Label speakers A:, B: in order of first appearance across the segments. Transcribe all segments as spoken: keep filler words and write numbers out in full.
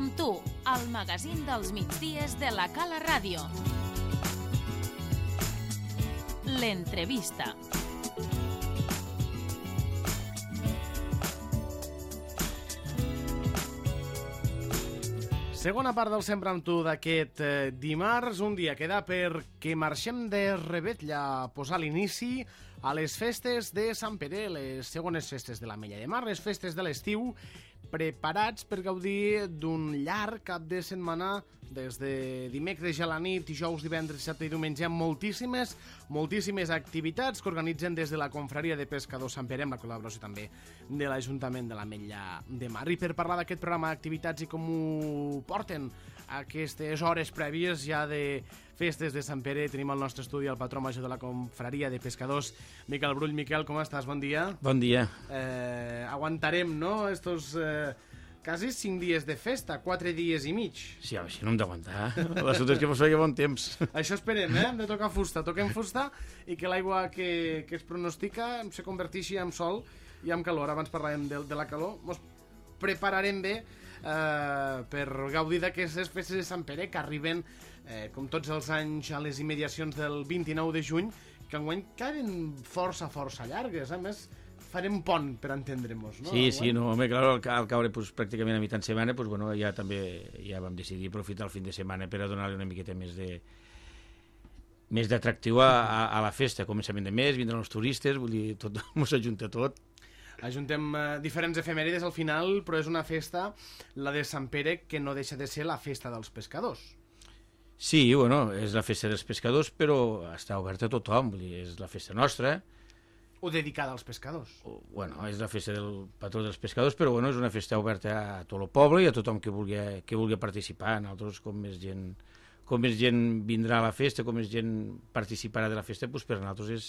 A: amb tu, el magazín dels migdies de la Cala Ràdio. L'entrevista.
B: Segona part del Sempre amb tu d'aquest eh, dimarts, un dia queda perquè marxem de Revetlla a posar l'inici a les festes de Sant Pere, les segones festes de l'Ametlla de Mar, les festes de l'estiu, preparats per gaudir d'un llarg cap de setmana des de dimecres a la nit, dijous, divendres, dissabte i diumenge, amb moltíssimes, moltíssimes activitats que organitzen des de la Confraria de Pescadors Sant Pere, amb la col·laboració també de l'Ajuntament de l'Ametlla de Mar. I per parlar d'aquest programa d'activitats i com ho porten aquestes hores prèvies ja de festes de Sant Pere, tenim al nostre estudi el patró major de la Confraria de Pescadors, Miquel Brull. Miquel, com estàs? Bon dia.
C: Bon dia.
B: Eh, aguantarem, no?, estos eh, quasi cinc dies de festa, quatre dies i mig.
C: Sí, home, si no hem d'aguantar. L'assumpte és que mos feia bon temps.
B: Això esperem, eh? Hem de tocar fusta. Toquem fusta i que l'aigua que, que es pronostica se converteixi en sol i en calor. Abans parlàvem de, de la calor. Mos prepararem bé eh, per gaudir d'aquestes festes de Sant Pere que arriben, eh, com tots els anys, a les immediacions del vint-i-nou de juny, que enguany queden força, força llargues. A més, farem pont per entendre-nos, no?
C: Sí, sí, no, home, clar, al, al caure pues, pràcticament a mitjan setmana, pues, bueno, ja també ja vam decidir aprofitar el fin de setmana per a donar-li una miqueta més de més d'atractiu a, a, a la festa. Començament de mes, vindran els turistes, vull dir, tot mos ajunta tot.
B: Ajuntem eh, diferents efemèrides al final, però és una festa, la de Sant Pere, que no deixa de ser la festa dels pescadors.
C: Sí, bueno, és la festa dels pescadors, però està oberta a tothom, vull dir, és la festa nostra.
B: O dedicada als pescadors.
C: O, bueno, és la festa del patró dels pescadors, però bueno, és una festa oberta a tot el poble i a tothom que vulgui, que vulgui participar. Nosaltres, com més gent, com més gent vindrà a la festa, com més gent participarà de la festa, doncs per a nosaltres és,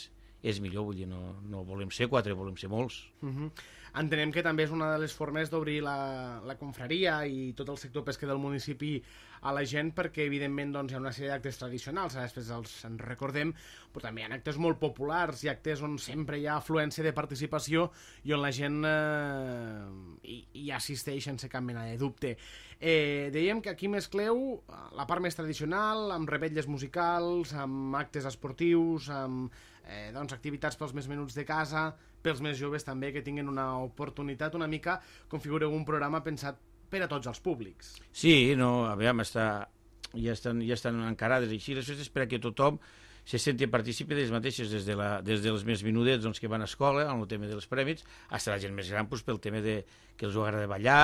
C: és millor, vull dir, no, no volem ser quatre, volem ser molts.
B: Uh-huh. Entenem que també és una de les formes d'obrir la, la confraria i tot el sector pesquer del municipi a la gent, perquè evidentment doncs, hi ha una sèrie d'actes tradicionals, després els en recordem, però també hi ha actes molt populars i actes on sempre hi ha afluència de participació i on la gent eh, hi, hi assisteix sense cap mena de dubte. Eh, dèiem que aquí mescleu la part més tradicional, amb revetlles musicals, amb actes esportius, amb eh, doncs, activitats pels més menuts de casa, pels més joves també, que tinguin una oportunitat. Una mica configureu un programa pensat per a tots els públics.
C: Sí, no, aviam, està, ja, estan, ja estan encarades així les festes per a que tothom se senti participi de les mateixes, des, de la, des dels més menudets doncs, que van a escola, en el tema dels prèmits, fins a la gent més gran doncs, pel tema de, que els agrada ballar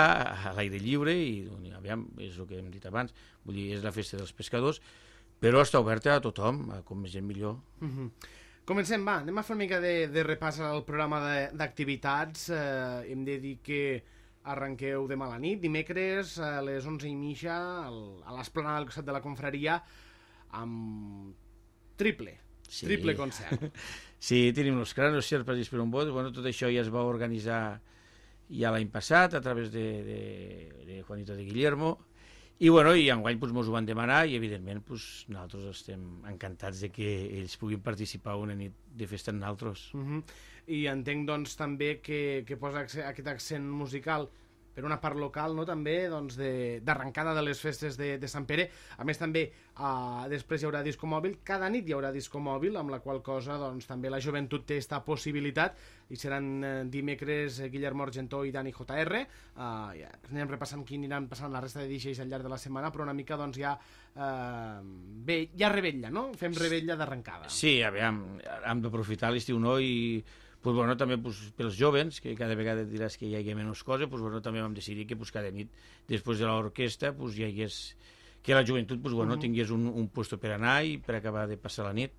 C: a l'aire lliure, i doncs, aviam, és el que hem dit abans, vull dir, és la festa dels pescadors, però està oberta a tothom, a com més gent millor.
B: Uh-huh. Comencem, va, anem a fer una mica de, de repàs al programa d'activitats. Eh, hem de dir que arrenqueu demà a la nit, dimecres a les onze i mitja a l'esplanada del costat de la confraria amb triple, sí. triple concert.
C: Sí, tenim els cranos, xerpes i esperonbots. Bueno, tot això ja es va organitzar ja l'any passat a través de, de, de Juanito de Guillermo. I, bueno, i enguany pues, mos ho van demanar i, evidentment, pues, nosaltres estem encantats de que ells puguin participar una nit de festa amb nosaltres.
B: Uh-huh. I entenc, doncs, també que, que posa aquest accent musical per una part local, no?, també, doncs, d'arrencada de, de les festes de, de Sant Pere. A més, també, uh, després hi haurà disco mòbil. Cada nit hi haurà disco mòbil, amb la qual cosa, doncs, també la joventut té aquesta possibilitat, i seran uh, dimecres uh, Guillermo Argentó i Dani J R. Uh, ja anem repassant qui aniran passant la resta de D Js al llarg de la setmana, però una mica, doncs, ja uh, bé, ja revetlla, no? Fem revetlla d'arrencada.
C: Sí, aviam, hem d'aprofitar l'estiu, no?, i pues, bueno, també pues, pels jovens, que cada vegada diràs que hi hagi menys coses, pues, bueno, també vam decidir que pues, cada nit, després de l'orquestra, pues, hi hagués, que la joventut pues, bueno, uh-huh. tingués un, un puesto per anar i per acabar de passar la nit.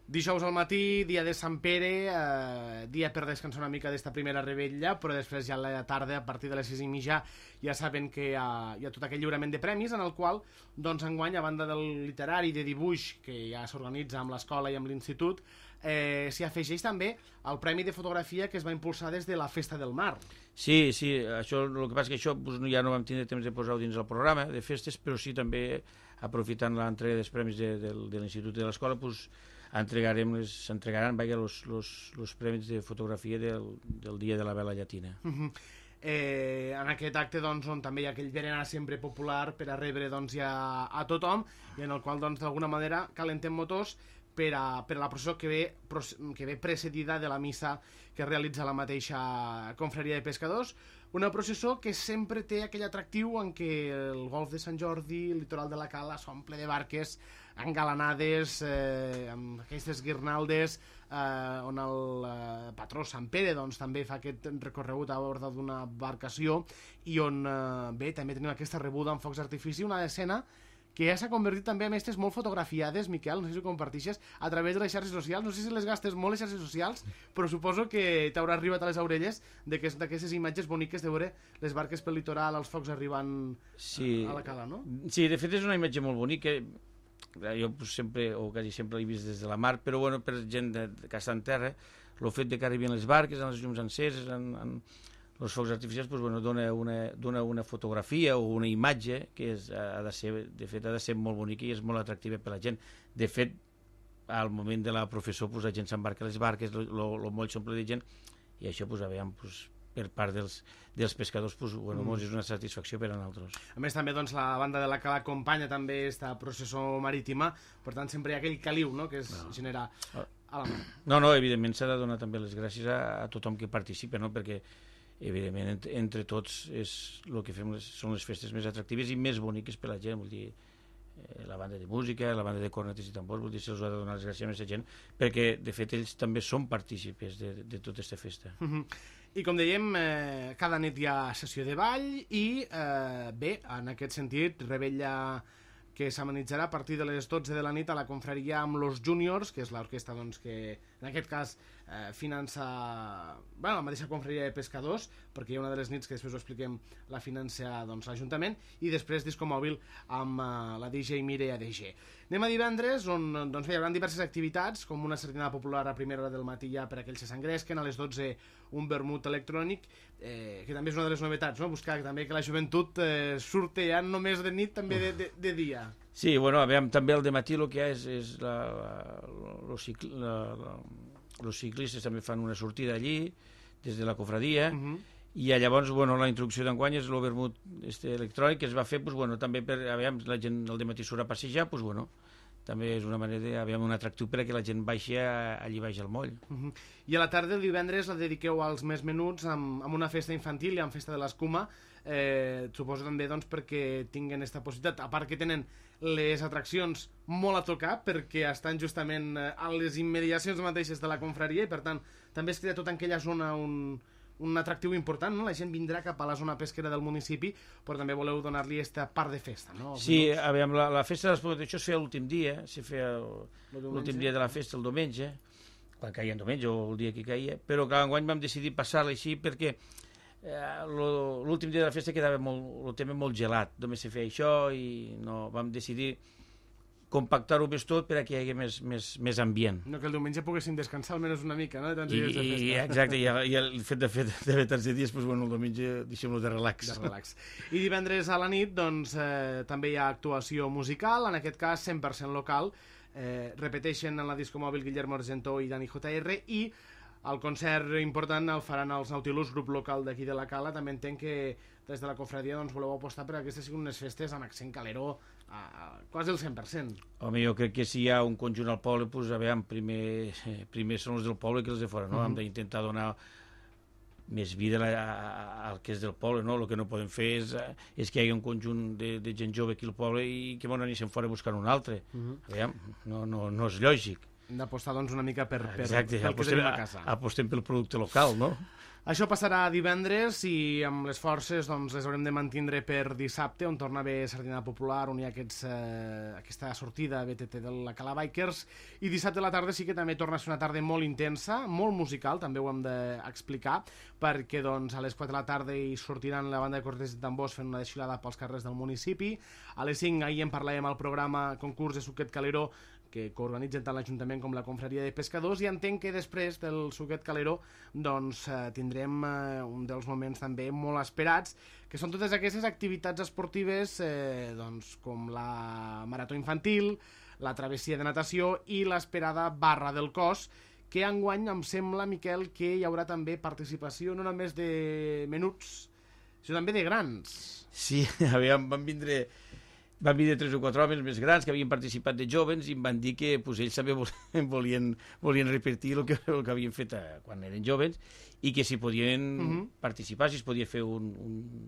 B: Dijous al matí, dia de Sant Pere, eh, dia per descansar una mica d'esta primera revetlla, però després ja a la tarda, a partir de les sis i mitja, ja saben que hi ha, hi ha tot aquell lliurament de premis, en el qual, doncs, enguany, a banda del literari de dibuix, que ja s'organitza amb l'escola i amb l'institut, eh, s'hi afegeix també el Premi de Fotografia que es va impulsar des de la Festa del Mar.
C: Sí, sí, això, el que passa és que això pues, ja no vam tindre temps de posar-ho dins el programa de festes, però sí també, aprofitant l'entrega dels premis de, de, de l'institut i de l'escola, pues, entregarem les, s'entregaran els premis de fotografia del, del dia de la vela llatina.
B: Uh-huh. Eh, en aquest acte doncs, on també hi ha aquell berenar sempre popular per a rebre doncs, ja a tothom i en el qual doncs, d'alguna manera calentem motors per a, per a la processó que ve, que ve precedida de la missa que realitza la mateixa confraria de pescadors, una processó que sempre té aquell atractiu en què el golf de Sant Jordi, el litoral de la Cala s'omple de barques engalanades eh, amb aquestes guirnaldes eh, on el eh, patró Sant Pere doncs, també fa aquest recorregut a bord d'una embarcació i on eh, bé, també tenim aquesta rebuda amb focs d'artifici, una escena que ja s'ha convertit també en aquestes molt fotografiades, Miquel, no sé si ho compartixes, a través de les xarxes socials. No sé si les gastes molt les xarxes socials, però suposo que t'haurà arribat a les orelles d'aquestes imatges boniques de veure les barques pel litoral, els focs arribant
C: sí.
B: a la Cala, no?
C: Sí, de fet és una imatge molt bonica. Jo pues, sempre, o quasi sempre l'he vist des de la mar, però bueno, per gent de, de que està en terra, el fet de que arribin les barques, amb les llums enceses, en, en els focs artificials, pues, bueno, dona, una, dona una fotografia o una imatge que és, ha de ser, de fet ha de ser molt bonica i és molt atractiva per la gent. De fet, al moment de la professó pues, la gent s'embarca a les barques, el moll s'omple de gent i això pues, aviam, pues, per part dels, dels pescadors pues, bueno, mm. és una satisfacció per a nosaltres.
B: A més també doncs, la banda de la Cala acompanya també esta processó marítima, per tant sempre hi ha aquell caliu, no?, que es no. genera a la mà.
C: No, no, evidentment s'ha de donar també les gràcies a, a tothom que participa, no?, perquè evidentment entre, entre tots és el que fem les, són les festes més atractives i més boniques per a la gent, vull dir eh, la banda de música, la banda de cornetes i tambors, vull dir, se'ls ha de donar les gràcies a aquesta gent perquè de fet ells també són partícipes de, de tota aquesta festa.
B: Mm-hmm. I com dèiem, eh, cada nit hi ha sessió de ball i eh, bé, en aquest sentit, Rebella que s'amenitzarà a partir de les dotze de la nit a la confraria amb los Juniors, que és l'orquestra doncs, que en aquest cas eh, finança bueno, la mateixa confraria de pescadors, perquè hi ha una de les nits que després ho expliquem, la finança doncs, l'Ajuntament, i després disco mòbil amb eh, la D J Mireia D G. Anem a divendres, on doncs, bé, hi haurà diverses activitats, com una sardinada popular a primera hora del matí ja per aquells que s'engresquen, a les dotze un vermut electrònic, eh, que també és una de les novetats, no? Buscar també que la joventut eh, surti ja només de nit, també de, de, de dia.
C: Sí, bueno, aviam, també al dematí el que hi ha és, és la, la, los, cicl, la, la, los ciclistes també fan una sortida allí, des de la cofradia, uh-huh. i llavors, bueno, la introducció d'enguany és el vermut este electrònic que es va fer, pues, bueno, també per, aviam, la gent al dematí surt a passejar, pues, bueno, també és una manera de, aviam, un atractiu per a que la gent baixi a, allí baix al moll.
B: Uh-huh. I a la tarda, el divendres, la dediqueu als més menuts amb, amb una festa infantil i amb festa de l'escuma, eh, suposo també doncs, perquè tinguen aquesta possibilitat, a part que tenen les atraccions molt a tocar perquè estan justament a les immediacions mateixes de la confraria i per tant també es crea tota aquella zona un, un atractiu important, no? La gent vindrà cap a la zona pesquera del municipi, però també voleu donar-li aquesta part de festa, no?
C: Sí, aviam, la, la festa de l'Espluga, això es feia l'últim dia, se feia l'últim dia de la festa, el diumenge, quan caia el diumenge o el dia que caia, però clar, enguany vam decidir passar-la així perquè eh, l'últim dia de la festa quedava molt, el tema molt gelat, només se feia això i no, vam decidir compactar-ho més tot per a que hi hagi més, més, més ambient.
B: No, que el diumenge poguéssim descansar almenys una mica, no?, de tants dies de festa.
C: I, exacte, i el, i el fet de fer de tants dies, doncs, bueno, el diumenge deixem-lo de relax.
B: De relax. I divendres a la nit, doncs, eh, també hi ha actuació musical, en aquest cas cent per cent local, eh, repeteixen en la disco mòbil Guillermo Argentó i Dani J R, i el concert important el faran els Nautilus, grup local d'aquí de la Cala. També entenc que des de la confraria doncs, voleu apostar per a aquestes siguin unes festes amb accent caleró a, a quasi el cent per cent.
C: Home, jo crec que si hi ha un conjunt al poble, doncs, aviam, primer, primer són els del poble que els de fora, no? Uh-huh. Hem d'intentar donar més vida al que és del poble, no? El que no podem fer és, és que hi hagi un conjunt de, de gent jove aquí al poble i que bon anissin fora buscant un altre. Uh-huh. Aviam, no, no, no és lògic.
B: Hem d'apostar doncs una mica per, per,
C: Exacte,
B: pel que tenim a casa.
C: Apostem pel producte local, no?
B: Això passarà divendres i amb les forces doncs, les haurem de mantindre per dissabte, on torna a haver sardinada popular, on hi ha aquests, eh, aquesta sortida B T T de la Cala Bikers, i dissabte a la tarda sí que també torna a ser una tarda molt intensa, molt musical, també ho hem d'explicar, perquè doncs, a les quatre de la tarda hi sortiran la banda de cornetes i tambors fent una desfilada pels carrers del municipi. A les cinc ahir en parlàvem al programa concurs de suquet caleró, que coorganitzen tant l'Ajuntament com la confraria de pescadors, i entenc que després del suquet caleró doncs, eh, tindrem eh, un dels moments també molt esperats, que són totes aquestes activitats esportives eh, doncs, com la marató infantil, la travessia de natació i l'esperada barra del cos, que enguany em sembla, Miquel, que hi haurà també participació no només de menuts Això també de grans.
C: Sí, aviam, van vindre... Van vindre tres o quatre homes més grans que havien participat de joves i em van dir que pues, ells també volien, volien repetir el que, el que havien fet a, quan eren joves i que si podien uh-huh. participar, si es podia fer un, un,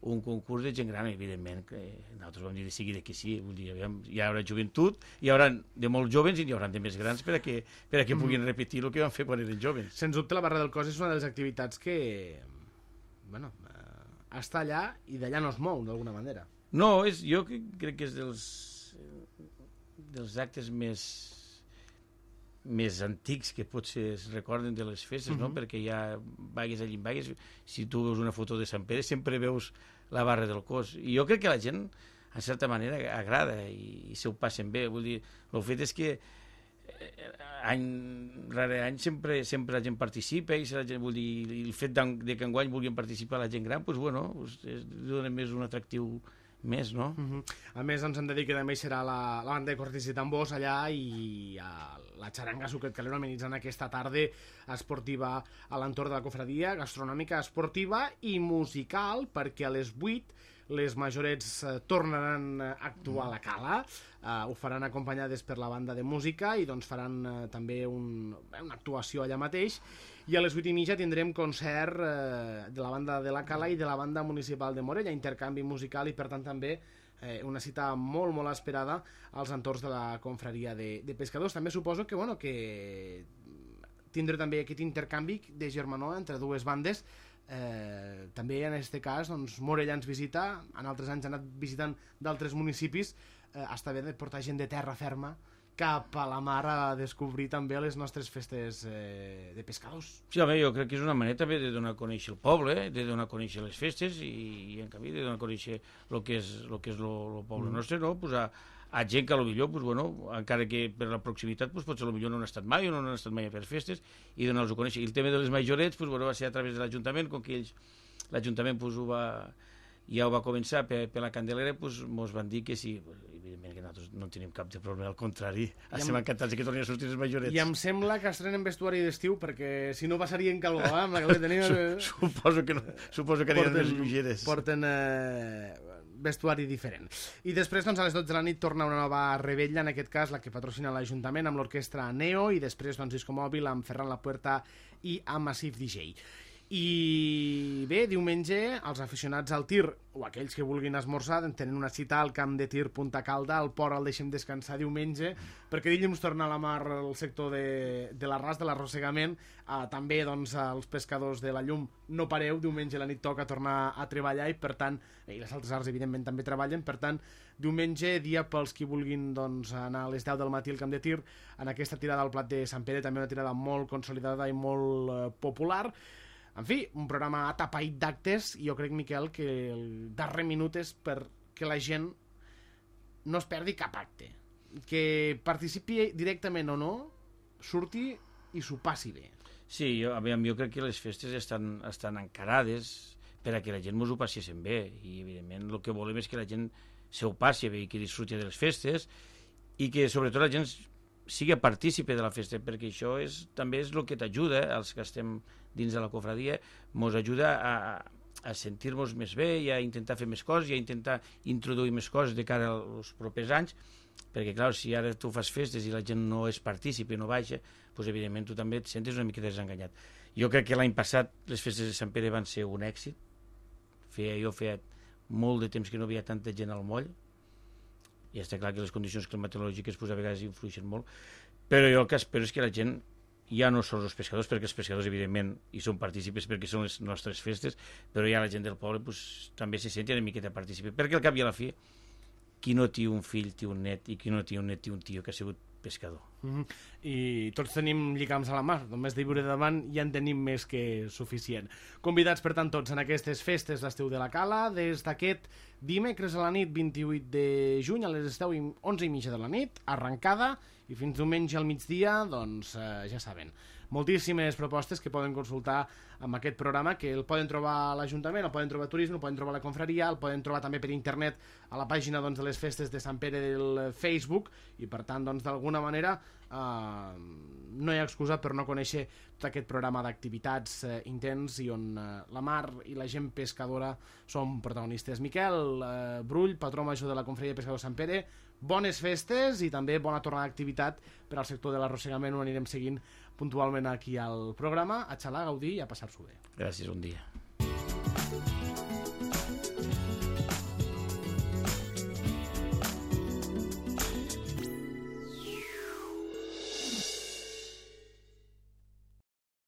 C: un concurs de gent gran, evidentment, que nosaltres vam dir de seguida que sí, vull dir, aviam, hi haurà joventut, hi haurà de molts joves i hi haurà de més grans per a que, per a que uh-huh. puguin repetir el que van fer quan eren joves.
B: Sens dubte la Barra del Cos és una de les activitats que bueno, eh, està allà i d'allà no es mou d'alguna manera.
C: No, és, jo crec que és dels, dels actes més, més antics que potser es recorden de les festes, uh-huh. no? Perquè ja vagues allí en vagues, si tu veus una foto de Sant Pere sempre veus la Barra del Cos. I jo crec que la gent, en certa manera, agrada i, i se ho passen bé. Vull dir, el fet és que any rere any sempre, sempre la gent participa i la gent, vull dir, el fet de que enguany vulguin participar la gent gran, doncs, bueno, doncs, dona més un atractiu més, no?
B: Uh -huh. A més, ens hem de dir que també serà la, la banda de cortis i tambors allà i a la xaranga Sucret Calero amenitzant aquesta tarda esportiva a l'entorn de la cofradia, gastronòmica, esportiva i musical, perquè a les vuit les majorets eh, tornaran a actuar a la Cala, eh, ho faran acompanyades per la banda de música i doncs faran eh, també un, una actuació allà mateix, i a les vuit i mitja tindrem concert eh, de la banda de la Cala i de la banda municipal de Morella, intercanvi musical i per tant també eh, una cita molt molt esperada als entorns de la confraria de, de pescadors. També suposo que, bueno, que tindré també aquest intercanvi de germanor entre dues bandes. Eh, també en aquest cas doncs, Morella ens visita, en altres anys ha anat visitant d'altres municipis, eh, està bé de portar gent de terra ferma cap a la mar a descobrir també les nostres festes eh, de pescadors.
C: Sí, home, jo crec que és una manera també de donar a conèixer el poble, de donar a conèixer les festes i, i en canvi de donar a conèixer el que és el que és el poble mm. nostre, no? Pues a, a gent que potser, pues, bueno, encara que per la proximitat pues, potser potser no han estat mai o no han estat mai a fer festes i donar-los a conèixer. I el tema de les majorets pues, bueno, va ser a través de l'Ajuntament, com que ells l'Ajuntament pues, ho va, ja ho va començar per, per la Candelera, pues, mos van dir que sí, pues, evidentment que nosaltres no tenim cap de problema, al contrari, estem encantats que tornin a sortir els majorets.
B: I em sembla que estrenen vestuari d'estiu, perquè si no passarien calor, eh? Amb la que tenim...
C: suposo que no, suposo que aniran més lleugeres.
B: Porten eh, vestuari diferent. I després, doncs, a les dotze de la nit torna una nova rebella, en aquest cas la que patrocina l'Ajuntament amb l'orquestra Neo, i després, doncs, Disco Mòbil amb Ferran Lapuerta i amb Massive D J. I bé, diumenge els aficionats al tir o aquells que vulguin esmorzar tenen una cita al camp de tir Punta Calda, al port el deixem descansar diumenge perquè dilluns torna a la mar el sector de, de l'arràs, de l'arrossegament, eh, també doncs els pescadors de la llum no pareu, diumenge a la nit toca tornar a treballar i per tant, i les altres arts evidentment també treballen, per tant diumenge dia pels qui vulguin doncs, anar a les deu del matí al camp de tir en aquesta tirada al plat de Sant Pere, també una tirada molt consolidada i molt eh, popular. En fi, un programa atapeït d'actes i jo crec, Miquel, que el darrer minut és perquè la gent no es perdi cap acte. Que participi directament o no, surti i s'ho passi bé.
C: Sí, jo, aviam, jo crec que les festes estan, estan encarades per a que la gent mos ho passessin bé i, evidentment, el que volem és que la gent se ho passi bé i que disfruti de les festes i que, sobretot, la gent sigui partícipe de la festa, perquè això és, també és el que t'ajuda, els que estem dins de la cofradia, mos ajuda a, a sentir-nos més bé i a intentar fer més coses i a intentar introduir més coses de cara als propers anys, perquè, clar, si ara tu fas festes i la gent no és partícipe, no baixa, doncs, evidentment, tu també et sentes una mica desenganyat. Jo crec que l'any passat les festes de Sant Pere van ser un èxit. Feia, jo feia molt de temps que no havia tanta gent al moll, i està clar que les condicions climatològiques pues, a vegades influeixen molt, però jo el que espero és que la gent ja no són els pescadors, perquè els pescadors evidentment hi són partícipes perquè són les nostres festes, però ja la gent del poble pues, també se senti una miqueta partícipe, perquè al cap i a la fi qui no té un fill té un net i qui no té un net té un tio que ha sigut pescador.
B: Mm-hmm. I tots tenim lligams a la mar, només de viure davant ja en tenim més que suficient. Convidats per tant tots en aquestes festes d'estiu de la Cala, des d'aquest dimecres a la nit vint-i-vuit de juny a les deu i onze i mitja de la nit, arrencada, i fins diumenge al migdia, doncs eh, ja saben, moltíssimes propostes que poden consultar amb aquest programa, que el poden trobar a l'Ajuntament, el poden trobar a Turisme, el poden trobar a la Confraria, el poden trobar també per internet a la pàgina doncs, de les festes de Sant Pere del Facebook, i per tant, doncs, d'alguna manera, Uh, no hi ha excusa per no conèixer tot aquest programa d'activitats uh, intens i on uh, la mar i la gent pescadora són protagonistes. Miquel uh, Brull, patró major de la Confraria de Pescadors Sant Pere, bones festes i també bona tornada d'activitat per al sector de l'arrossegament, on anirem seguint puntualment aquí al programa. A xalar, gaudir i a passar-s'ho bé.
C: Gràcies, un dia.